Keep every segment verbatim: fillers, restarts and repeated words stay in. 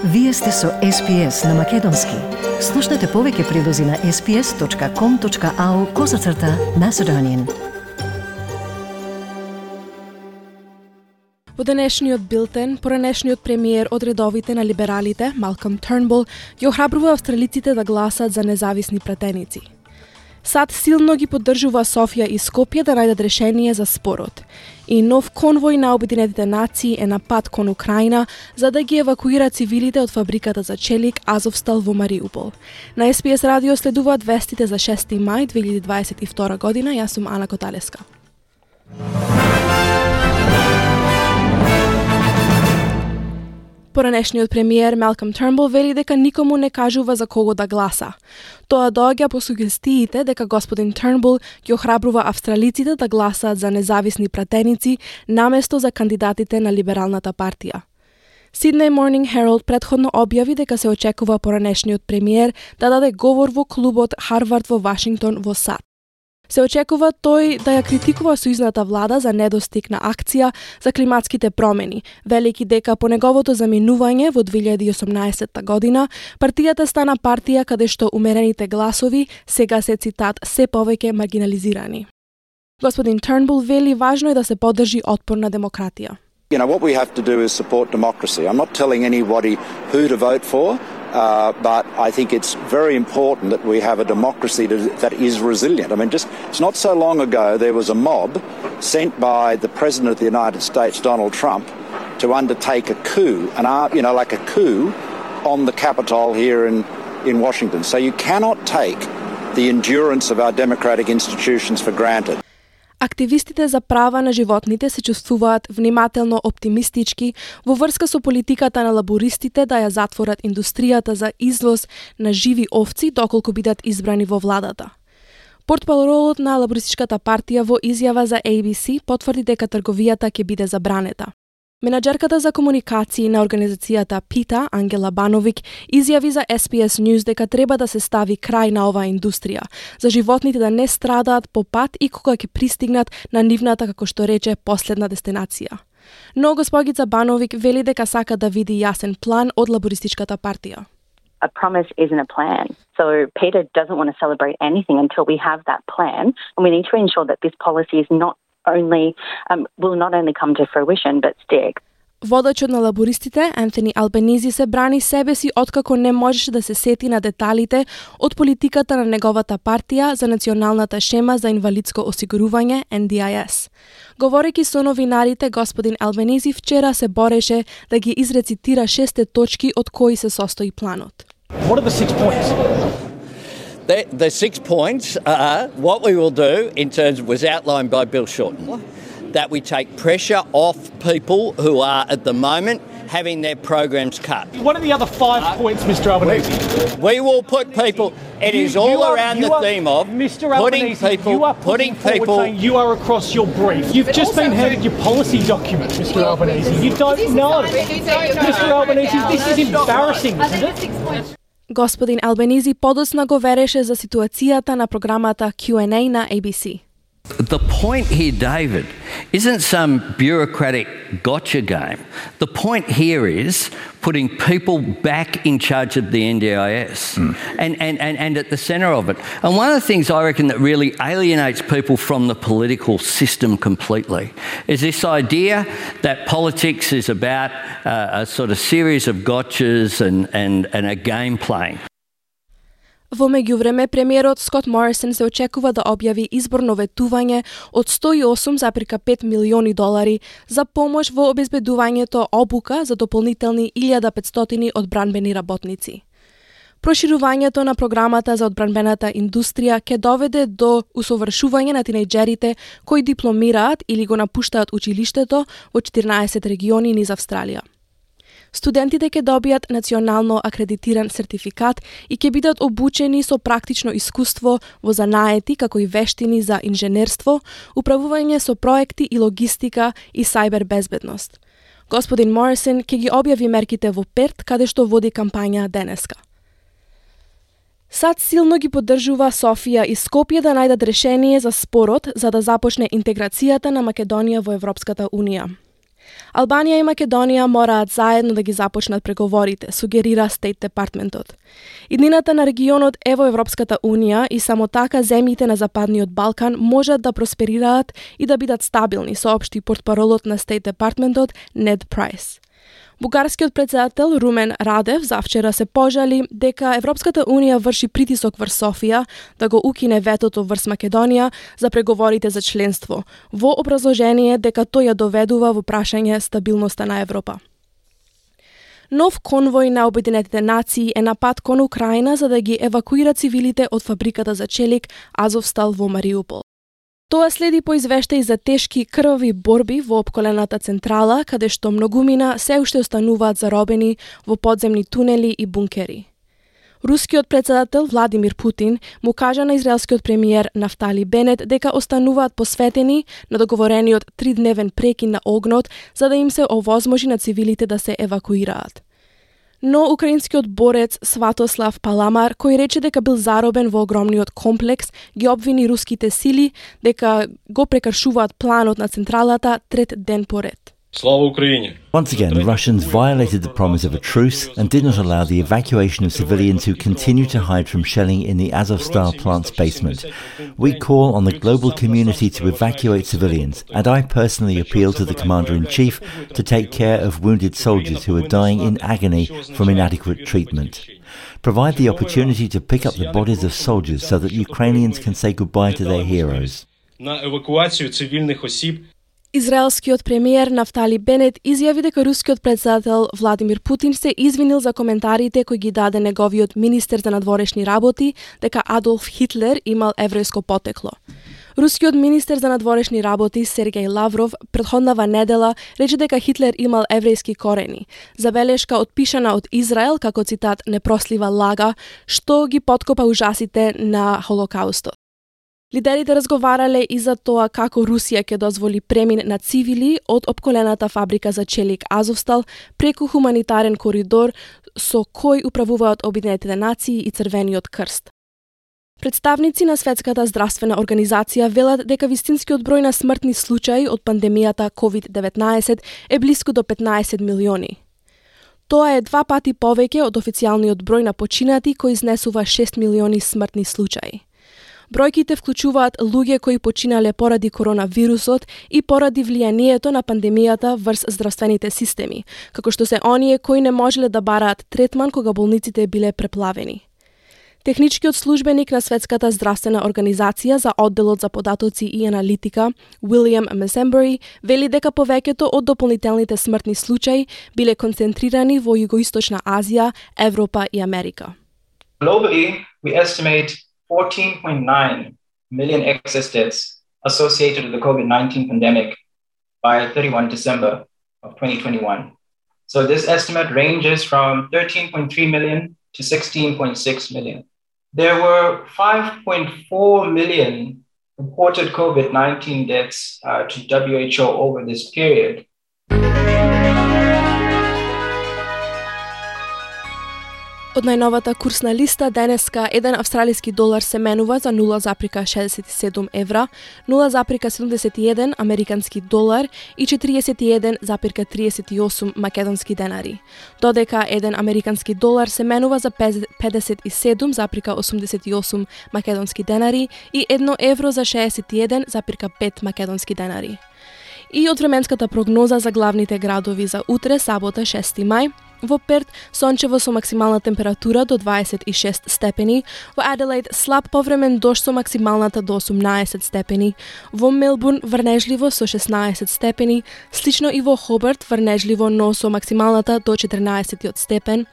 Вие сте со Ес Пи Ес на Македонски. Слушнете повеќе прилози на ес пи ес точка ком точка ау козацрта Macedonian. Во денешниот билтен, поранешниот премиер од редовите на либералите, Малком Тернбул, ги охрабрува австралиците да гласат за независни пратеници. САД силно ги поддржува Софија и Скопје да најдат решение за спорот. И нов конвој на Обединетите нации е на пат кон Украина за да ги евакуира цивилите од фабриката за челик Азовстал во Мариупол. На Ес Пи Ес радио следуваат вестите за шести мај две илјади дваесет и втора година. Јас сум Ана Коталеска. Поранешниот премиер Малком Тернбул вели дека никому не кажува за кого да гласа. Тоа доаѓа по сугестиите дека господин Тернбул ги охрабрува австралиците да гласаат за независни пратеници наместо за кандидатите на либералната партија. Sydney Morning Herald претходно објави дека се очекува поранешниот премиер да даде говор во клубот Харвард во Вашингтон во САД. Се очекува тој да ја критикува сојузната влада за недостиг на акција за климатските промени, велики дека по неговото заминување во две илјади и осумнаесетта година, партијата стана партија каде што умерените гласови сега се, цитат, се повеќе маргинализирани. Господин Тернбул вели важно е да се поддржи отпорна демократија. You know, what we have to do is support democracy. I'm not telling anybody who to vote for, uh, but I think it's very important that we have a democracy to, that is resilient. I mean, just it's not so long ago there was a mob sent by the President of the United States, Donald Trump, to undertake a coup, an art, you know, like a coup on the Capitol here in, in Washington. So you cannot take the endurance of our democratic institutions for granted. Активистите за права на животните се чувствуваат внимателно оптимистички во врска со политиката на лабористите да ја затворат индустријата за извоз на живи овци доколку бидат избрани во владата. Портпаролот на лабористичката партија во изјава за Ей Би Си потврди дека трговијата ќе биде забранета. Менаџерката за комуникации на организацијата ПИТА, Ангела Бановик, изјави за Ес Пи Ес News дека треба да се стави крај на оваа индустрија, за животните да не страдаат по пат и кога ќе пристигнат на нивната, како што рече, последна дестинација. Но госпогица Бановик вели дека сака да види јасен план од лабористичката партија. A promise isn't a plan. So PETA doesn't want to celebrate anything until we have that plan, and we need to ensure that this policy is not only um, will not only come to fruition but stick. Водачот на лабористите, Антони Албанизи, се брани себе си откако не можеше да се сети на деталите од политиката на неговата партија за националната шема за инвалидско осигурување Ен Ди Ай Ес. Говорејќи со новинарите, господин Албанизи вчера се бореше да ги изрецитира шесте точки од кои се состои планот. What are the six points? The, the six points are what we will do in terms of was outlined by Bill Shorten. That we take pressure off people who are at the moment having their programs cut. What are the other five uh, points, Mister Albanese? We, we will put people, it you, is all you around are, the are, theme of Mister putting Albanese, people, you are putting people. Saying you are across your brief. You've but just been handed your policy document, Mister Albanese. You don't know. Mister Albanese, this is embarrassing, isn't it? Господин Албанизи подоцна го вереше за ситуацијата на програмата Q and A на Ей Би Си. The point here, David, isn't some bureaucratic gotcha game. The point here is putting people back in charge of the Ен Ди Ай Ес mm. and, and, and, and at the centre of it. And one of the things I reckon that really alienates people from the political system completely is this idea that politics is about uh, a sort of series of gotchas and, and, and a game playing. Во меѓувреме, премиерот Скот Морисон се очекува да објави изборно ветување од сто и осум зарез пет милиони долари за помош во обезбедувањето обука за дополнителни илјада петстотини одбранбени работници. Проширувањето на програмата за одбранбената индустрија ќе доведе до усовршување на тинејџерите кои дипломираат или го напуштаат училиштето во четиринаесет региони низ Австралија. Студентите ќе добијат национално акредитиран сертификат и ќе бидат обучени со практично искуство во занаети како и вештини за инженерство, управување со проекти и логистика и сајбер безбедност. Господин Морисон ќе ги објави мерките во Перт, каде што води кампања денеска. САД силно ги поддржува Софија и Скопје да најдат решение за спорот за да започне интеграцијата на Македонија во Европската Унија. Албанија и Македонија мораат заедно да ги започнат преговорите, сугерира Стейт Департментот. Иднината на регионот е во Европската Унија и само така земјите на Западниот Балкан можат да просперираат и да бидат стабилни, соопшти портпаролот на Стейт Департментот Нед Прайс. Бугарскиот председател Румен Радев завчера се пожали дека Европската Унија врши притисок врз Софија да го укине ветото врз Македонија за преговорите за членство, во образложение дека тој ја доведува во прашање стабилноста на Европа. Нов конвој на Обединетите нации е на пат кон Украина за да ги евакуира цивилите од фабриката за челик Азовстал во Мариупол. Тоа следи по извештаи за тешки крвави борби во опколената централа, каде што многумина се уште остануваат заробени во подземни тунели и бункери. Рускиот председател Владимир Путин му кажа на израелскиот премиер Нафтали Бенет дека остануваат посветени на договорениот тридневен прекин на огнот за да им се овозможи на цивилите да се евакуираат. Но украинскиот борец Сватослав Паламар, кој рече дека бил заробен во огромниот комплекс, ги обвини руските сили дека го прекршуваат планот на централата трет ден поред. Слава Украине! Once again, the Russians violated the promise of a truce and did not allow the evacuation of civilians who continue to hide from shelling in the Azovstal plant's basement. We call on the global community to evacuate civilians, and I personally appeal to the Commander-in-Chief to take care of wounded soldiers who are dying in agony from inadequate treatment. Provide the opportunity to pick up the bodies of soldiers so that Ukrainians can say goodbye to their heroes. На евакуацию цивилних осіб. Израелскиот премиер Нафтали Бенет изјави дека рускиот председател Владимир Путин се извинил за коментарите кои ги даде неговиот министер за надворешни работи дека Адолф Хитлер имал еврејско потекло. Рускиот министер за надворешни работи Сергеј Лавров претходнава недела рече дека Хитлер имал еврејски корени, забелешка отпишана од Израел како цитат непрослива лага, што ги поткопа ужасите на Холокаустот. Лидерите разговарале и за тоа како Русија ќе дозволи премин на цивили од опколената фабрика за челик Азовстал преку хуманитарен коридор со кој управуваат Обединетите нации и Црвениот крст. Представници на Светската здравствена организација велат дека вистинскиот број на смртни случаи од пандемијата ковид деветнаесет е блиску до петнаесет милиони. Тоа е два пати повеќе од официјалниот број на починати кој изнесува шест милиони смртни случаи. Бројките вклучуваат луѓе кои починале поради коронавирусот и поради влијанието на пандемијата врз здравствените системи, како што се оние кои не можеле да бараат третман кога болниците биле преплавени. Техничкиот службеник на Светската здравствена организација за одделот за податоци и аналитика, Уилијам Месембери, вели дека повеќето од дополнителните смртни случаи биле концентрирани во Југоисточна Азија, Европа и Америка. Globally, we estimate fourteen point nine million excess deaths associated with the COVID nineteen pandemic by thirty-first December of twenty twenty-one. So this estimate ranges from thirteen point three million to sixteen point six million. There were five point four million reported COVID nineteen deaths uh, to W H O over this period. Од најновата курсна листа денеска еден австралиски долар се менува за нула запирка шеесет и седум евра, нула запирка седумдесет и еден американски долар и четириесет и еден запирка триесет и осум македонски денари. Додека еден американски долар се менува за педесет и седум запирка осумдесет и осум македонски денари и едно евро за шеесет и еден запирка пет македонски денари. И од временската прогноза за главните градови за утре, сабота, шести мај, во Перт сончево со максимална температура до дваесет и шест степени, во Аделаид слаб повремен дожд со максималната до осумнаесет степени, во Мелбурн врнежливо со шеснаесет степени, слично и во Хобарт врнежливо но со максималната до четрнаесет степен,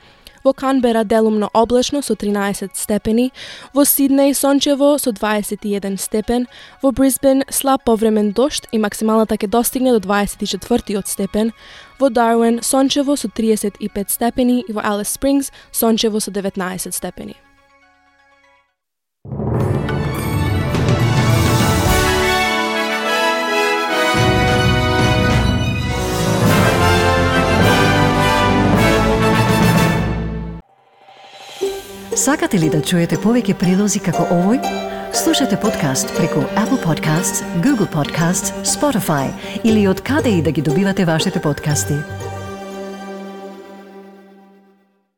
во Канбера делумно облачно со тринаесет степени, во Сиднеј сончево со дваесет и еден степен, во Брисбен слаб повремен дожд и максималната ќе достигне до дваесет и четврти степен, во Дарвин сончево со триесет и пет степени и во Алис Спрингс сончево со деветнаесет степени. Сакате ли да чуете повеќе прилози како овој? Слушате подкаст преку Apple Podcasts, Google Podcasts, Spotify или од каде и да ги добивате вашите подкасти.